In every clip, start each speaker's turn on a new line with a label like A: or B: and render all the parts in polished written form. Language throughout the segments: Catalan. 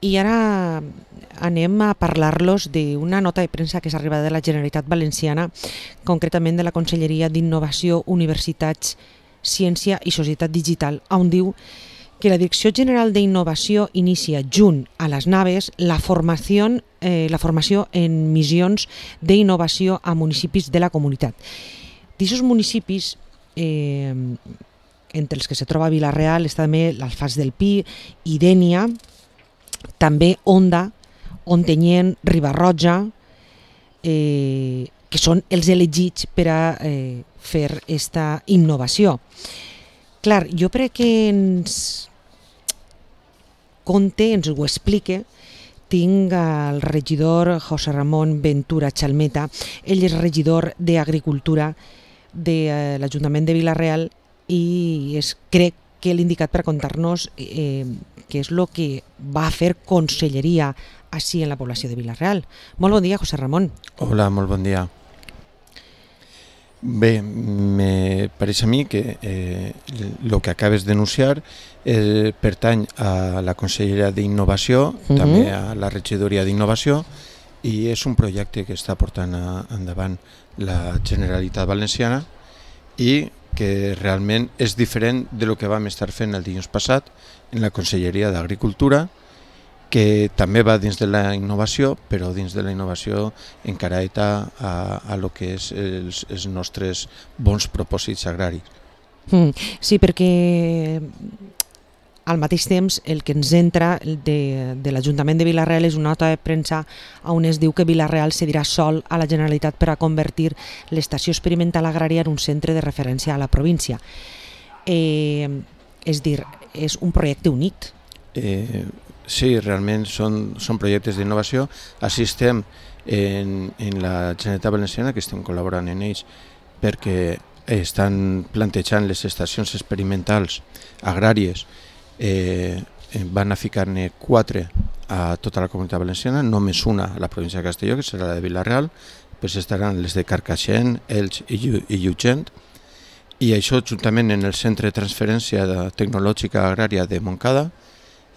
A: I ara anem a parlar-los d'una nota de premsa que és arribada de la Generalitat Valenciana, concretament de la Conselleria d'Innovació, Universitats, Ciència i Societat Digital, on diu que la Direcció General d'Innovació inicia junt a les Naves la formació en missions d'innovació a municipis de la comunitat. D'aquests municipis, entre els que se troba Vila-real, està també l'Alfàs del Pi i Dénia, també Onda, Ontinyent, Riba-roja, que són els elegits per a fer aquesta innovació. Clar, jo crec que ens conte, ens ho explique, tinc el regidor José Ramón Ventura Chalmeta. Ell és regidor d'Agricultura de l'Ajuntament de Vila-real i crec que l'ha indicat per contar-nos què és el que va fer conselleria així en la població de Vila-real. Molt bon dia, José Ramón.
B: Hola, molt bon dia. Bé, me pareix a mi que el que acabes d'anunciar pertany a la Conselleria d'Innovació, també a la Regidoria d'Innovació, i és un projecte que està portant endavant la Generalitat Valenciana i que realment és diferent de lo que vam estar fent el dilluns passat en la Conselleria d'Agricultura, que també va dins de la innovació, però dins de la innovació encarada a lo que és els nostres bons propòsits agraris.
A: Sí, perquè al mateix temps el que ens entra de l'Ajuntament de Vila-real és una nota de premsa on es diu que Vila-real cedirà sol a la Generalitat per a convertir l'estació experimental agrària en un centre de referència a la província. És dir, és un projecte únic.
B: Sí, realment són projectes d'innovació. Així estem en la Generalitat Valenciana, que estem col·laborant en ells perquè estan plantejant les estacions experimentals agràries. Van a ficar-ne 4 a tota la Comunitat Valenciana, només una a la província de Castelló, que serà la de Vila-real, després estaran les de Carcaixent, Elx i Llutxent, i això juntament en el Centre de Transferència Tecnològica Agrària de Montcada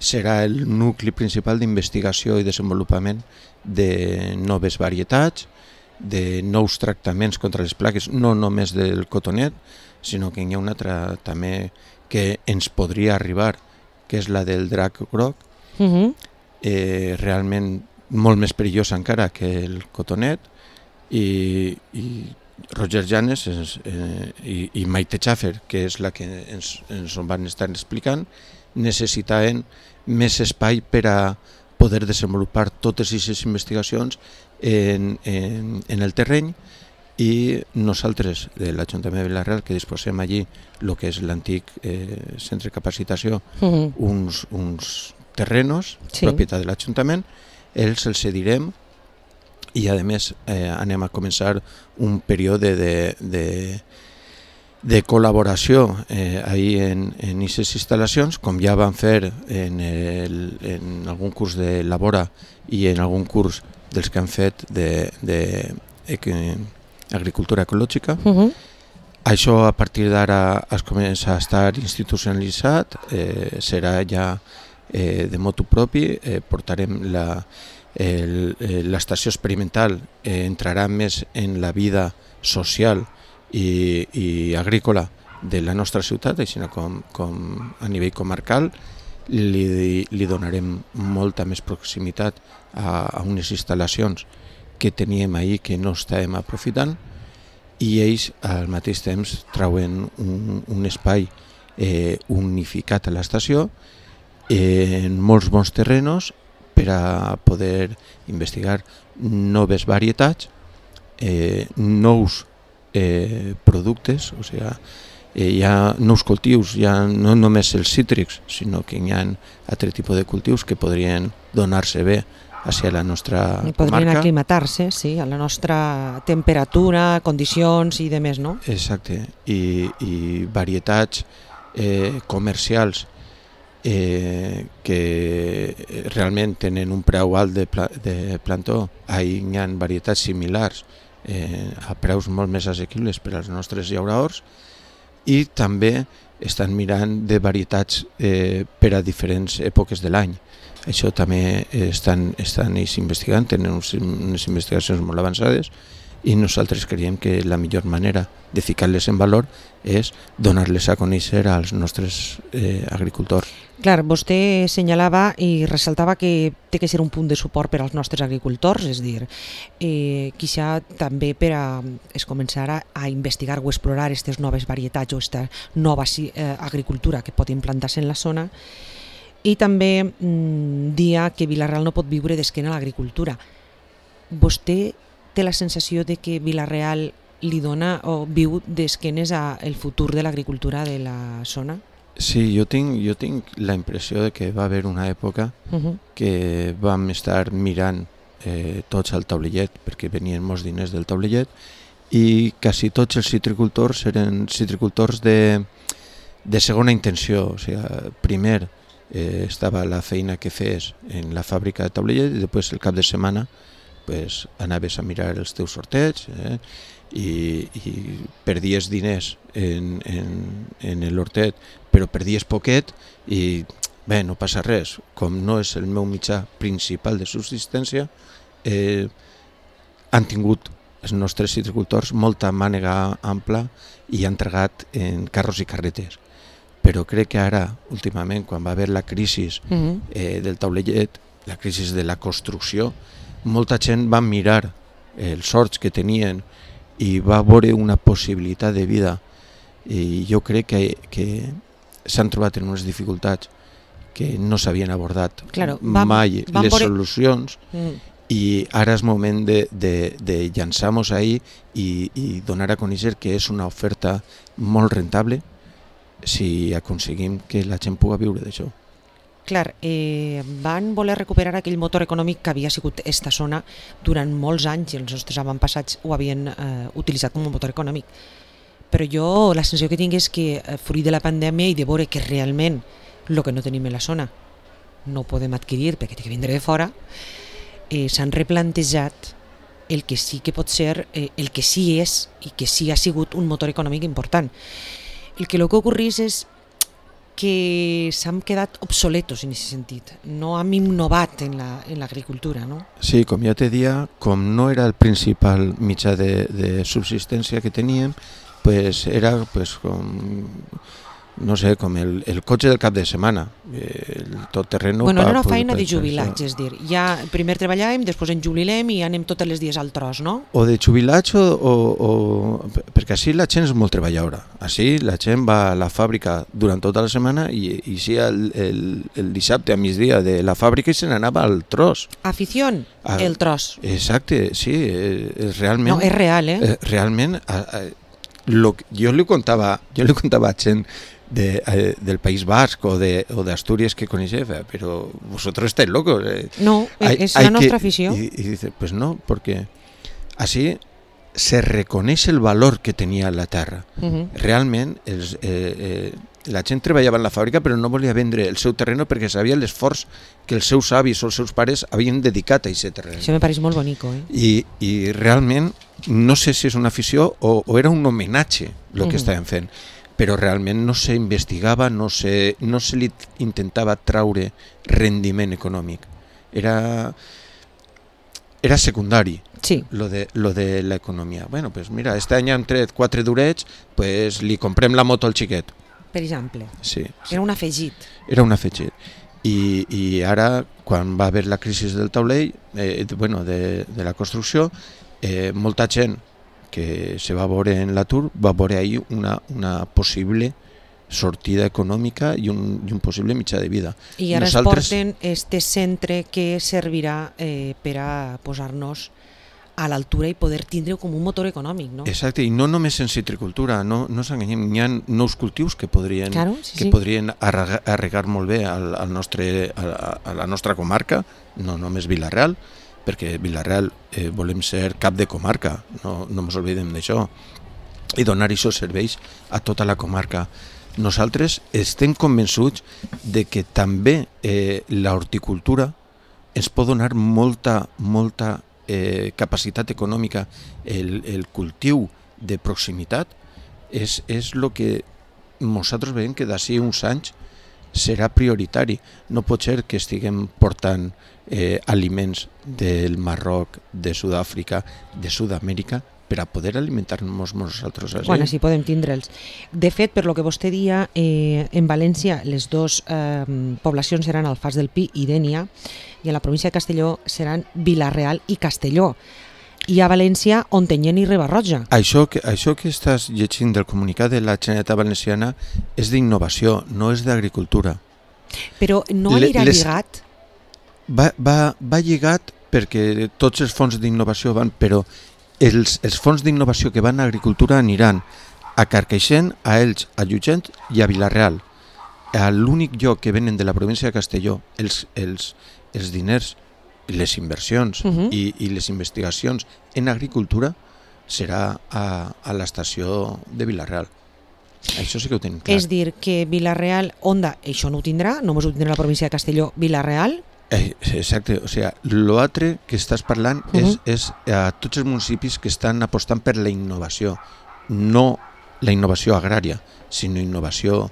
B: serà el nucli principal d'investigació i desenvolupament de noves varietats, de nous tractaments contra les plagues, no només del cotonet, sinó que hi ha una altra també que ens podria arribar, que és la del drac groc, realment molt més perillós encara que el cotonet, i Roger Llanes i Maite Schaffer, que és la que ens van estar explicant, necessitaven més espai per a poder desenvolupar totes aquestes investigacions en el terreny, i nosaltres, de l'Ajuntament de Vila-real, que disposem allí el que és l'antic centre de capacitació, uns terrenos, propietat de l'Ajuntament, els cedirem i a més anem a començar un període de col·laboració ahí en aquestes instal·lacions, com ja vam fer en algun curs de Labora i en algun curs dels que han fet d'agricultura ecològica. Això a partir d'ara es comença a estar institucionalitzat, serà ja de motu propi, portarem l'estació experimental, entrarà més en la vida social i agrícola de la nostra ciutat, així com a nivell comarcal. Li donarem molta més proximitat a unes instal·lacions que teníem ahir que no estàvem aprofitant, i ells al mateix temps trauen un espai unificat a l'estació en molts bons terrenos per a poder investigar noves varietats, nous productes, o sigui, hi ha nous cultius, ja no només els cítrics, sinó que hi ha altre tipus de cultius que podrien donar-se bé hacia la nostra comarca.
A: Podrien aclimatar-se, sí, a la nostra temperatura, condicions i demés, no?
B: Exacte, i varietats comercials que realment tenen un preu alt de plantó. Ahí hi ha varietats similars a preus molt més assequibles per als nostres llauradors, i també estan mirant de varietats per a diferents èpoques de l'any. Això també estan ells investigant, tenen unes investigacions molt avançades, i nosaltres creiem que la millor manera de ficar-les en valor és donar-les a conèixer als nostres agricultors.
A: Clar, vostè assenyalava i ressaltava que té que ser un punt de suport per als nostres agricultors, és a dir, quizá també per a començar a investigar o explorar aquestes noves varietats o aquesta nova agricultura que pot implantar-se en la zona, i també dia que Vila-real no pot viure d'esquena a l'agricultura. Vostè té la sensació de que Vila-real li dona o viu d'esquenes al futur de l'agricultura de la zona?
B: Sí, jo tinc la impressió de que va haver una època que vam estar mirant tots al taulellet, perquè venien molts diners del taulellet, i quasi tots els citricultors eren citricultors de segona intenció. O sigui, primer estava la feina que fes en la fàbrica de taulellet i després el cap de setmana pues, anaves a mirar els teus sorteigs i perdies diners en l'hortet, però perdies poquet i bé, no passa res. Com no és el meu mitjà principal de subsistència, han tingut els nostres citricultors molta mànega ampla i han tragat en carros i carretes. Però crec que ara, últimament, quan va haver la crisi del taulellet, la crisi de la construcció, molta gent va mirar els horts que tenien i va veure una possibilitat de vida. I jo crec que s'han trobat en unes dificultats que no s'havien abordat mai les solucions, i ara és moment de llançar-nos ahí i donar a conèixer que és una oferta molt rentable si aconseguim que la gent pugui viure d'això.
A: Clar, van voler recuperar aquell motor econòmic que havia sigut esta zona durant molts anys i els nostres avantpassats ho havien utilitzat com a motor econòmic. Però jo la sensació que tinc és que fruit de la pandèmia i de veure que realment el que no tenim en la zona no ho podem adquirir perquè té que vindre de fora, s'han replantejat el que sí que pot ser, el que sí és i que sí ha sigut un motor econòmic important. El que ocorreix és que s'han quedat obsoletos en aquest sentit, no hem innovat en l'agricultura, no?
B: Sí, com ja te dia, com no era el principal mitjà de subsistència que teníem, pues era pues, com, no sé, com el cotxe del cap de setmana, el tot terreno.
A: Bueno, era una feina de jubilats, és dir, ja primer treballàvem, després ens jubilem i anem tots els dies al tros, no?
B: O de jubilats perquè així la gent és molt treballadora. Així la gent va a la fàbrica durant tota la setmana i sí el dissabte a migdia de la fàbrica i se n'anava al tros.
A: Afició, el tros.
B: Exacte, sí, realment.
A: No, és real,
B: Realment, jo li contava a gent del País Basc o d'Astúries que coneixia, però vosotros estáis locos.
A: No, és la nostra afició.
B: Y dice, pues no, porque así se reconeix el valor que tenia la terra. Realment, la gent treballava en la fàbrica però no volia vendre el seu terreno perquè sabia l'esforç que els seus avis o els seus pares havien dedicat a aquest terreno.
A: Això me pareix molt bonico.
B: I realment, no sé si és una afició o era un homenatge el que estaven fent, però realment no s'investigava, no se li intentava traure rendiment econòmic. Era secundari.
A: Sí.
B: Lo de l'economia. Bueno, pues mira, este any hem tret 4 durets, pues li comprem la moto al xiquet.
A: Per exemple.
B: Sí.
A: Era un afegit.
B: Era un afegit. I ara, quan va haver la crisi del taulell, de la construcció, molta gent que se va veure en l'atur va veure ahí una possible sortida econòmica i un possible mitjà de vida.
A: I ara es porten este centre que servirà per a posar-nos a l'altura i poder tindre com un motor econòmic, no?
B: Exacte, i no només en citricultura, no s'enganyem, hi ha nous cultius que podrien arregar molt bé a la nostra comarca, no només Vila-real, perquè Vila-real volem ser cap de comarca, no ens oblidem d'això, i donar aquests serveis a tota la comarca. Nosaltres estem convençuts de que també l'horticultura ens pot donar molta capacitat econòmica. El cultiu de proximitat és el que nosaltres veiem que d'ací uns anys serà prioritari. No pot ser que estiguem portant aliments del Marroc, de Sud-àfrica, de Sud-amèrica, per a poder alimentar-nos nosaltres així.
A: Quan així podem tindre'ls. De fet, per lo que vostè dia, en València les dues poblacions seran Alfàs del Pi i Dénia, i a la província de Castelló seran Vila-real i Castelló. I a València, Ontinyent i Riba-roja.
B: Això que estàs llegint del comunicat de la Generalitat Valenciana és d'innovació, no és d'agricultura.
A: Però no anirà lligat?
B: Va lligat perquè tots els fons d'innovació van, però els fons d'innovació que van a agricultura aniran a Carcaixent, a Elx, a Llutxent i a Vila-real. A l'únic lloc que venen de la província de Castelló els diners, les inversions i les investigacions en agricultura serà a l'estació de Vila-real. Això sí que ho tenim clar.
A: És dir, que Vila-real, Onda, això no ho tindrà, només ho tindrà la província de Castelló, Vila-real.
B: Exacte, o sigui, l'altre que estàs parlant és a tots els municipis que estan apostant per la innovació, no la innovació agrària, sinó innovació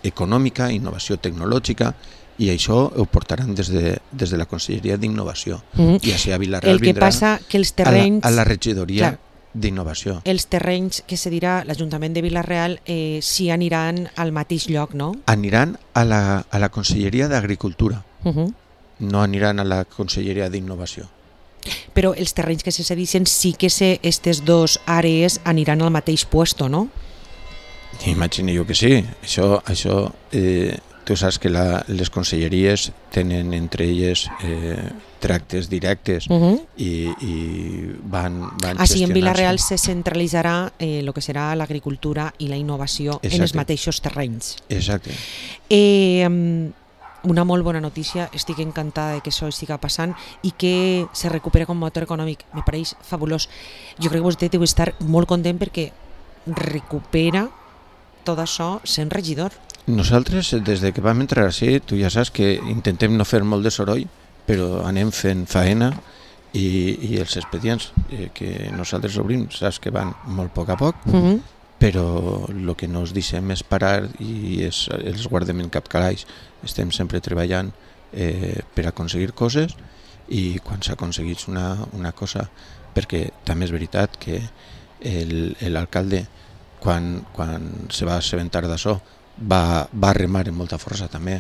B: econòmica, innovació tecnològica, i això ho portaran des de la Conselleria d'Innovació. I així a Vila-real vindrà
A: que els terrenys,
B: a la regidoria d'innovació.
A: Els terrenys que se dirà l'Ajuntament de Vila-real sí aniran al mateix lloc, no?
B: Aniran a la Conselleria d'Agricultura, no aniran a la Conselleria d'Innovació.
A: Però els terrenys que se cedixen sí que aquestes dues àrees aniran al mateix puesto, no?
B: Imagino jo que sí. Això tu saps que les conselleries tenen entre elles tractes directes i van gestionant-se.
A: Així en Vila-real se centralitzarà el que serà l'agricultura i la innovació en els mateixos terrenys.
B: Exacte.
A: Una molt bona notícia, estic encantada de que això estigui passant i que se recupera com a motor econòmic, me pareix fabulós. Jo crec que vostè deu estar molt content perquè recupera tot això sent regidor.
B: Nosaltres, des de que vam entrar així, tu ja saps que intentem no fer molt de soroll, però anem fent faena i els expedients que nosaltres obrim, saps que van molt a poc, però el que no ens deixem és parar i els guardem en cap calaix. Estem sempre treballant per aconseguir coses i quan s'aconsegueix una cosa, perquè també és veritat que l'alcalde quan se va assabentar d'això va remar amb molta força també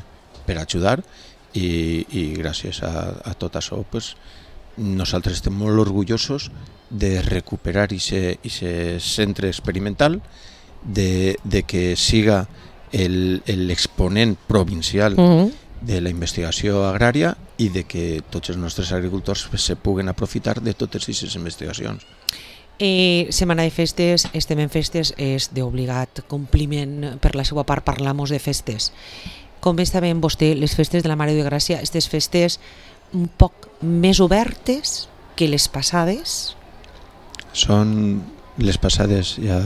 B: per ajudar i gràcies a tot això nosaltres estem molt orgullosos de recuperar aquest centre experimental, de que siga l'exponent provincial de la investigació agrària i de que tots els nostres agricultors se puguen aprofitar de totes aquestes investigacions.
A: Setmana de festes, estem en festes, és d'obligat compliment per la seva part parlar-nos de festes. Com està veient vostè les festes de la Mare de Gràcia, aquestes festes un poc més obertes que les passades?
B: Són les passades, ja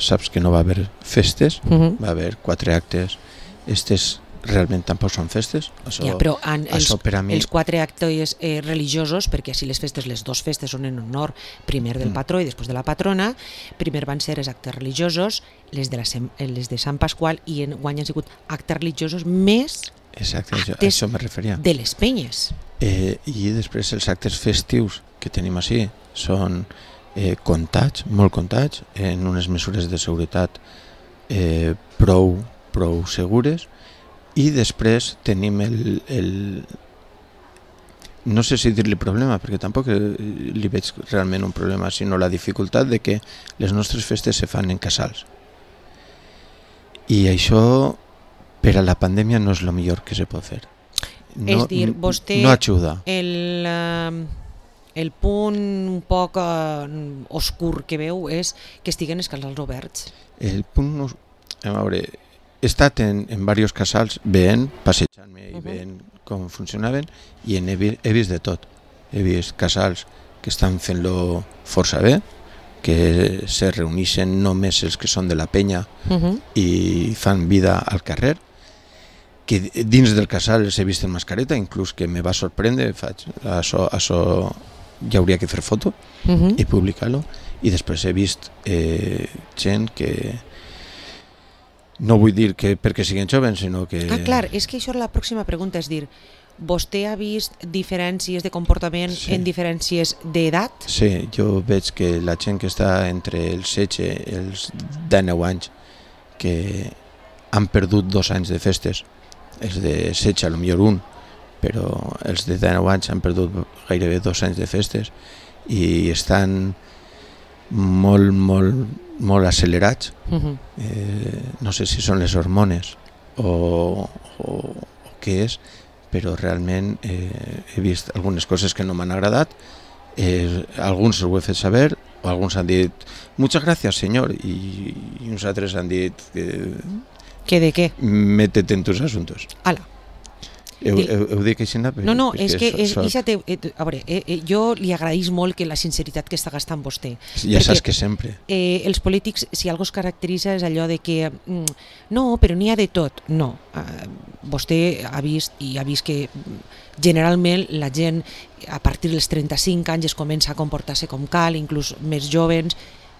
B: saps que no va haver festes, va haver 4 actes, aquestes realment tampoc són festes.
A: Però els 4 actes religiosos, perquè així les dues festes són en honor primer del patró i després de la patrona, primer van ser els actes religiosos, les de Sant Pasqual, i enguany han sigut actes religiosos més actes
B: de
A: les penyes.
B: I després els actes festius que tenim així són comptats, molt comptats, en unes mesures de seguretat prou segures. I després tenim no sé si dir-li problema, perquè tampoc li veig realment un problema, sinó la dificultat de que les nostres festes se fan en casals. I això, per a la pandèmia, no és el millor que se pot fer.
A: És dir, vostè
B: no ajuda.
A: El punt un poc oscur que veu és que estiguen els casals oberts.
B: El punt, a veure, he estat en diversos casals veient, passejant-me i veient com funcionaven i he vist de tot. He vist casals que estan fent-lo força bé, que se reuneixen només els que són de la penya i fan vida al carrer, que dins del casal els he vist en mascareta, inclús que me va sorprendre, això ja hauria que fer foto i publicar-lo, i després he vist gent que No vull dir que perquè siguin jovens, sinó que...
A: Clar, és que això és la pròxima pregunta, és dir, vostè ha vist diferències de comportament en diferències d'edat?
B: Sí, jo veig que la gent que està entre els 16 i els 19 anys, que han perdut 2 anys de festes, els de 16 potser un, però els de 19 anys han perdut gairebé 2 anys de festes i estan molt accelerats. No sé si són les hormones o què és, però realment he vist algunes coses que no m'han agradat. Alguns ho he fet saber, o alguns han dit muchas gracias señor, i uns altres han dit
A: ¿Que de què?
B: Métete en tus asuntos.
A: Ala.
B: Ho dic així?
A: No, és que a veure, jo li agraïs molt que la sinceritat que està gastant vostè.
B: Ja saps que sempre.
A: Els polítics, si algo es caracteritza és allò de que no, però n'hi ha de tot. No, vostè ha vist que generalment la gent a partir dels 35 anys es comença a comportar-se com cal, inclús més jovens,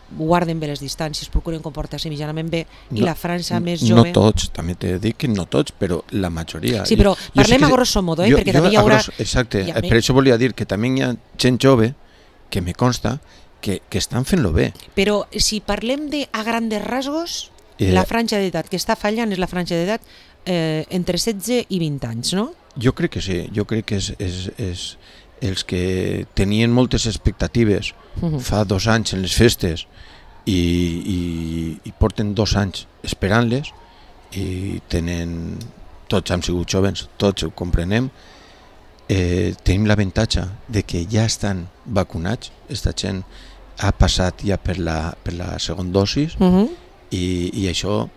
A: guarden bé les distàncies, procuren comportar-se mitjanament bé, i la franja més jove...
B: No tots, també t'he dit que no tots, però la majoria.
A: Sí, però parlem a grosso modo, perquè també hi haurà...
B: Exacte, per això volia dir que també hi ha gent jove, que me consta, que estan fent-lo bé.
A: Però si parlem de a grandes rasgos, la franja d'edat que està fallant és la franja d'edat entre 16 i 20 anys, no?
B: Jo crec que sí, jo crec que és els que tenien moltes expectatives fa 2 anys en les festes i porten 2 anys esperant-les i tenen, tots hem sigut jovens, tots ho comprenem, tenim l'avantatge de que ja estan vacunats, esta gent ha passat ja per la segona dosis i això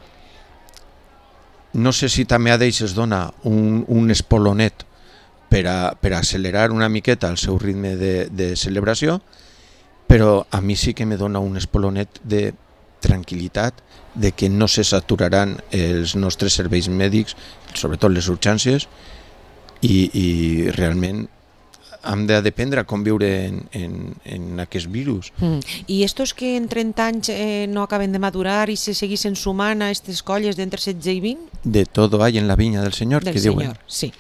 B: no sé si també a d'ells es dona un espolonet per accelerar una miqueta el seu ritme de celebració, però a mi sí que me dona un espolonet de tranquil·litat de que no se saturaran els nostres serveis mèdics, sobretot les urgències, i realment hem de dependre a conviure en aquest virus.
A: I estos que en 30 anys no acaben de madurar i se seguissin sumant a aquestes colles d'entre 16 i 20?
B: De todo hay en la viña del Señor, que diuen.
A: Sí.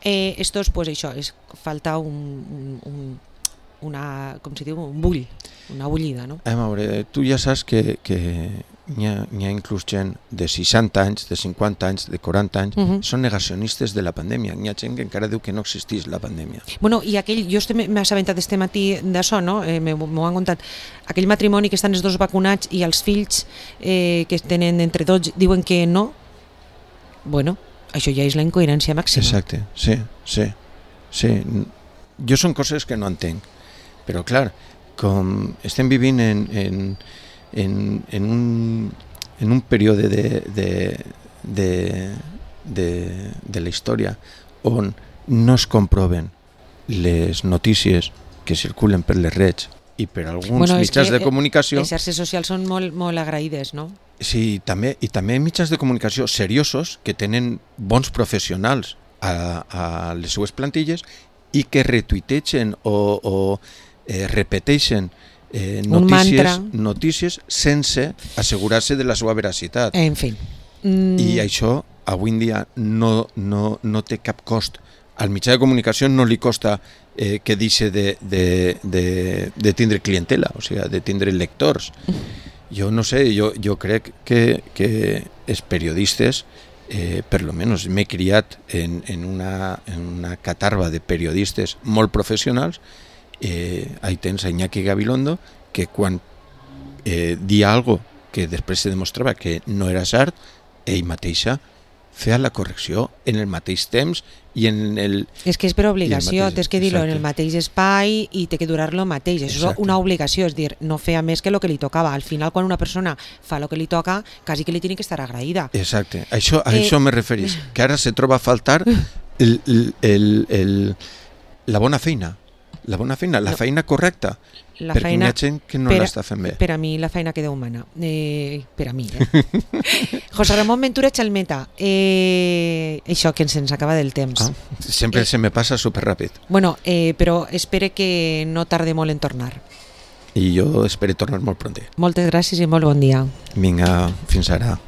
A: Estos, pues això, falta una, com se diu, un bull, una bullida, no?
B: A veure, tu ja saps que n'hi ha inclús gent de 60 anys, de 50 anys, de 40 anys, són negacionistes de la pandèmia. N'hi ha gent que encara diu que no existeix la pandèmia.
A: Bueno, i jo m'he assabentat este matí d'això, no? M'ho han contat. Aquell matrimoni que estan els dos vacunats i els fills que tenen entre 12 diuen que no. Bueno, això ja és la incoherència màxima.
B: Exacte, sí. Jo són coses que no entenc, però clar, com estem vivint en un període de la història on no es comproven les notícies que circulen per les redes i per alguns mitjans de comunicació.
A: Les xarxes socials són molt agraïdes, no?
B: Sí, i també mitjans de comunicació seriosos que tenen bons professionals a les seues plantilles i que retuitegen o repeteixen notícies sense assegurar-se de la seva veracitat.
A: En fi.
B: I això avui en dia no té cap cost. Al mitjà de comunicació no li costa que deixi de tindre clientela, o sigui, de tindre lectors. Jo no sé, jo crec que els periodistes, per lo menos m'he criat en una catarba de periodistes molt professionals. Ahí tens a Iñaki Gabilondo, que quan dia algo que després se demostrava que no era cert, ell mateixa feia la correcció en el mateix temps i en el...
A: És que és per obligació, tens que dir-lo en el mateix espai i té que durar-lo mateix. Això és una obligació, és dir, no feia més que el que li tocava. Al final, quan una persona fa el que li toca, quasi que li tiene que estar agraïda.
B: Exacte, a això me referís, que ara se troba a faltar la bona feina. La feina correcta, perquè hi ha gent que no l'està fent bé.
A: Per a mi la feina queda humana, per a mi. José Ramón Ventura Chalmeta, això que se'ns acaba del temps.
B: Sempre se me passa superràpid.
A: Bueno, però espero que no tarde molt en tornar.
B: I jo espero tornar molt pront.
A: Moltes gràcies i molt bon dia.
B: Vinga, fins ara.